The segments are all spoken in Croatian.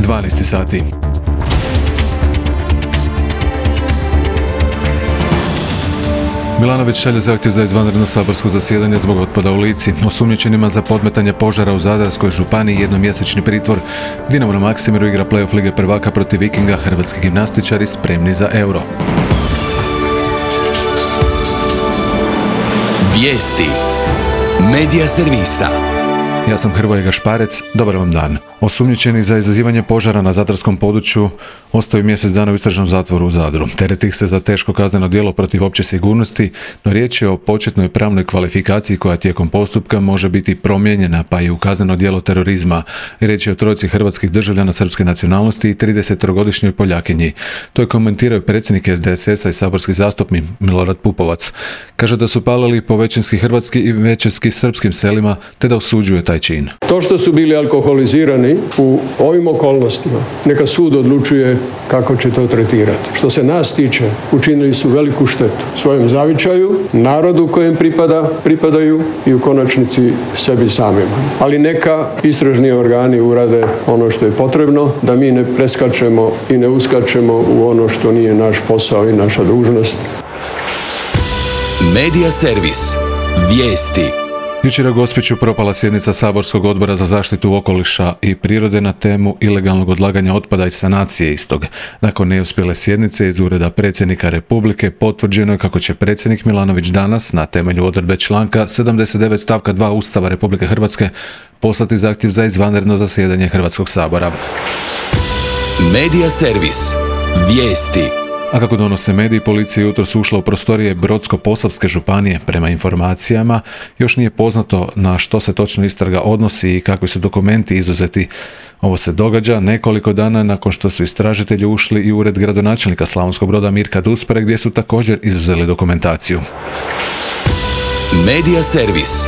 12 sati. Milanović šalje zahtjev za izvanredno saborsko zasjedanje zbog otpada u Lici. Osumnjičenima za podmetanje požara u Zadarskoj županiji jednomjesečni pritvor. Dinamo na Maksimiru igra play-off Lige prvaka protiv Vikinga, hrvatski gimnastičari spremni za Euro. Vijesti Medija servisa. Ja sam Hrvoje Gašparec, dobar vam dan. Osumnjičeni za izazivanje požara na zadarskom području ostaju mjesec dana u istražnom zatvoru u Zadru. Tereti ih se za teško kazneno djelo protiv opće sigurnosti, no riječ je o početnoj pravnoj kvalifikaciji koja tijekom postupka može biti promijenjena, pa i u kazneno djelo terorizma. Riječ je o trojici hrvatskih državljana srpske nacionalnosti i 30-godišnjoj Poljakinji. To je komentirao predsjednik SDSS-a i saborski zastupnik Milorad Pupovac. Kaže da su palili po većinski hrvatski i većinski srpskim selima, te da osuđuje taj čin. To što su bili alkoholizirani u ovim okolnostima, neka sud odlučuje kako će to tretirati. Što se nas tiče, učinili su veliku štetu svojem zavičaju, narodu kojem pripadaju i u konačnici sebi samima. Ali neka istražni organi urade ono što je potrebno, da mi ne preskačemo i ne uskačemo u ono što nije naš posao i naša dužnost. Medija servis. Vijesti. Jučer je u Gospiću propala sjednica Saborskog odbora za zaštitu okoliša i prirode na temu ilegalnog odlaganja otpada i sanacije istog. Nakon neuspjele sjednice iz Ureda predsjednika Republike potvrđeno je kako će predsjednik Milanović danas, na temelju odredbe članka 79 stavka 2 Ustava Republike Hrvatske, poslati zahtjev za izvanredno zasjedanje Hrvatskog sabora. Medija servis. Vijesti. A kako donose mediji, policija jutros ušla u prostorije Brodsko-posavske županije. Prema informacijama, još nije poznato na što se točno istraga odnosi i kakvi su dokumenti izuzeti. Ovo se događa nekoliko dana nakon što su istražitelji ušli i u ured gradonačelnika Slavonskog Broda Mirka Duspare, gdje su također izuzeli dokumentaciju. Medija servis.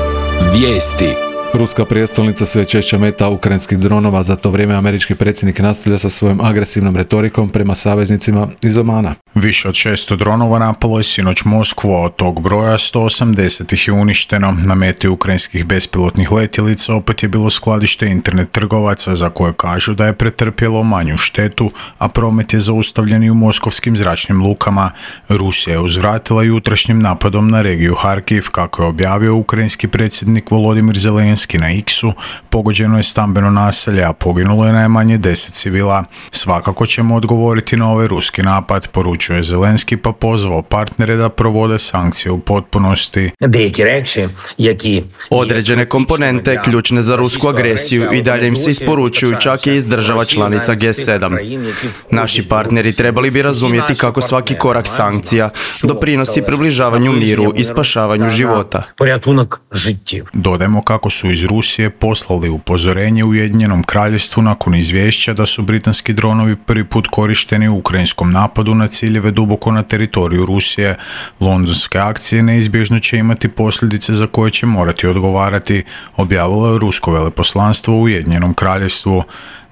Vijesti. Ruska prijestolnica sve češće meta ukrajinskih dronova, za to vrijeme američki predsjednik nastavlja sa svojom agresivnom retorikom prema saveznicima iz Omana. Više od 600 dronova napalo je sinoć Moskvu, a od tog broja 180 ih je uništeno. Na meti ukrajinskih bespilotnih letjelica opet je bilo skladište internet trgovaca za koje kažu da je pretrpjelo manju štetu, a promet je zaustavljen i u moskovskim zračnim lukama. Rusija je uzvratila jutrašnjim napadom na regiju Harkiv, kako je objavio ukrajinski predsjednik Volodimir Zelenski na X-u. Pogođeno je stambeno naselje, a poginulo je najmanje 10 civila. Svakako ćemo odgovoriti na ovaj ruski napad, poručuje Zelenski, pa pozvao partnere da provode sankcije u potpunosti. Određene komponente ključne za rusku agresiju i dalje im se isporučuju čak i iz država članica G7. Naši partneri trebali bi razumjeti kako svaki korak sankcija doprinosi približavanju miru i spašavanju života. Dodajmo kako su iz Rusije poslali upozorenje Ujedinjenom kraljevstvu nakon izvješća da su britanski dronovi prvi put korišteni u ukrajinskom napadu na ciljeve duboko na teritoriju Rusije. Londonske akcije neizbježno će imati posljedice za koje će morati odgovarati, objavilo je rusko veleposlanstvo u Ujedinjenom kraljevstvu.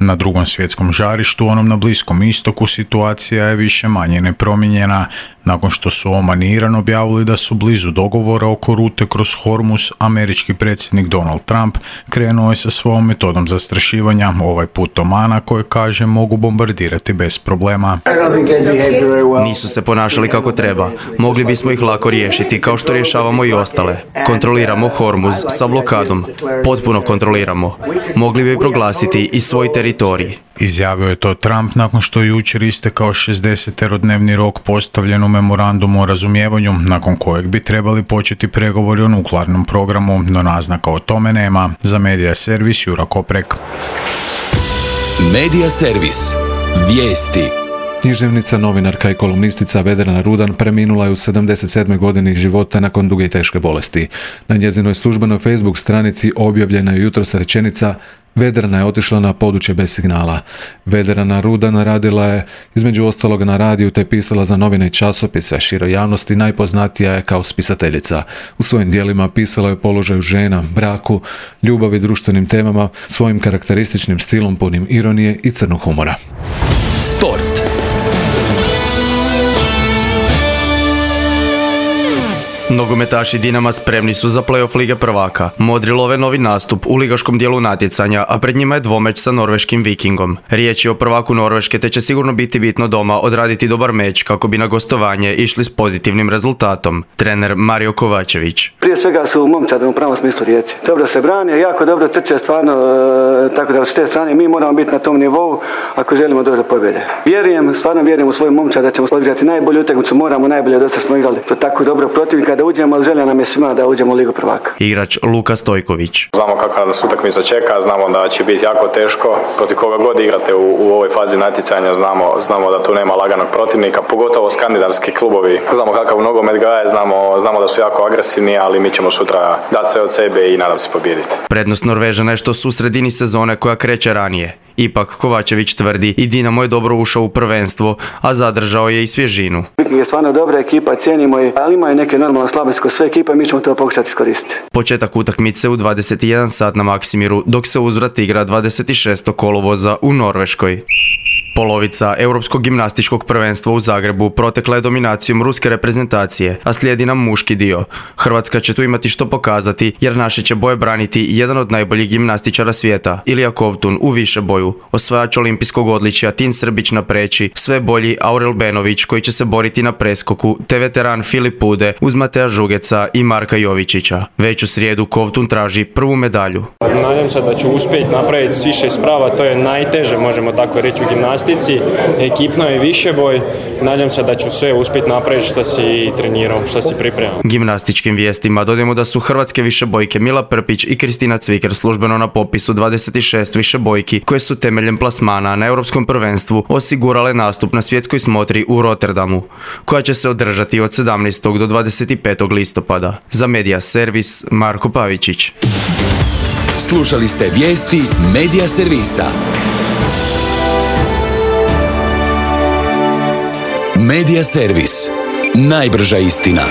Na drugom svjetskom žarištu, onom na Bliskom istoku, situacija je više manje nepromijenjena. Nakon što su Oman i Iran objavili da su blizu dogovora oko rute kroz Hormuz, američki predsjednik Donald Trump krenuo je sa svojom metodom zastrašivanja, ovaj put Omana, koje kaže mogu bombardirati bez problema. Nisu se ponašali kako treba. Mogli bismo ih lako riješiti, kao što rješavamo i ostale. Kontroliramo Hormuz sa blokadom. Potpuno kontroliramo. Mogli bi proglasiti i svoj teritorij. Izjavio je to Trump nakon što je jučer istekao 60-dnevni rok postavljen u memorandumu o razumijevanju, nakon kojeg bi trebali početi pregovori o nuklearnom programu, no naznaka o tome nema. Za Medija servis Jura Koprek. Medija servis. Vijesti. Književnica, novinarka i kolumnistica Vedrana Rudan preminula je u 77. godini života nakon duge i teške bolesti. Na njezinoj službenoj Facebook stranici objavljena je jutros rečenica: Vedrana je otišla na područje bez signala. Vedrana Rudan radila je između ostaloga na radiju te pisala za novine i časopise. Široj javnosti najpoznatija je kao spisateljica. U svojim djelima pisala je o položaju žena, braku, ljubavi, društvenim temama, svojim karakterističnim stilom punim ironije i crnog humora. Sport. No Nogometaši Dinama spremni su za play-off Lige prvaka. Modri love novi nastup u ligaškom dijelu natjecanja, a pred njima je dvomeč sa norveškim Vikingom. Riječ je o prvaku Norveške, te će sigurno biti bitno doma odraditi dobar meč kako bi na gostovanje išli s pozitivnim rezultatom. Trener Mario Kovačević. Prije svega su momčadi u pravom smislu riječi. Dobro se brane, jako dobro trče stvarno, tako da s te strane mi moramo biti na tom nivou ako želimo doći do pobjede. Stvarno vjerujem u svoju momčad da ćemo odigrati najbolju utakmicu, moramo najbolje, do sada smo igrali tako dobro protivnika da uđemo, ali želja nam je svima da uđemo u Ligu prvaka. Igrač Luka Stojković. Znamo kakva nas utakmica čeka, znamo da će biti jako teško. Protiv koga god igrate u ovoj fazi natjecanja, znamo da tu nema laganog protivnika, pogotovo skandinavski klubovi. Znamo kakav nogomet gaje, znamo da su jako agresivni, ali mi ćemo sutra dati sve od sebe i nadam se pobijediti. Prednost Norvežana je što su u sredini sezone koja kreće ranije. Ipak Kovačević tvrdi i Dinamo je dobro ušao u prvenstvo, a zadržao je i svježinu. Je stvarno dobra ekipa, cijenimo je, ali imaju neke normalne slabosti kod sve ekipe, mi ćemo to pokušati iskoristiti. Početak utakmice u 21 sat na Maksimiru, dok se uzvrat igra 26. kolovoza u Norveškoj. Polovica Europskog gimnastičkog prvenstva u Zagrebu protekla je dominacijom ruske reprezentacije, a slijedi nam muški dio. Hrvatska će tu imati što pokazati, jer naše će boje braniti jedan od najboljih gimnastičara svijeta, Ilija Kovtun u višeboju, osvajač olimpijskog odličja Tin Srbić na preći, sve bolji Aurel Benović koji će se boriti na preskoku, te veteran Filip Pude uz Mateja Žugeca i Marka Jovičića. Već u srijedu Kovtun traži prvu medalju. Nadam se da ću uspjeti napraviti s više sprava, to je najteže, možemo tako reći, u gimnastici. Ekipno je više boj, nadam se da ću sve uspjeti napraviti što si trenirao, što si pripremao. Gimnastičkim vijestima dodajemo da su hrvatske višebojke Mila Prpić i Kristina Cviker službeno na popisu 26 višebojki koje su temeljem plasmana na Europskom prvenstvu osigurale nastup na svjetskoj smotri u Rotterdamu, koja će se održati od 17. do 25. listopada. Za Media Servis, Marko Pavičić. Slušali ste vijesti Media Servisa. Media Servis. Najbrža istina.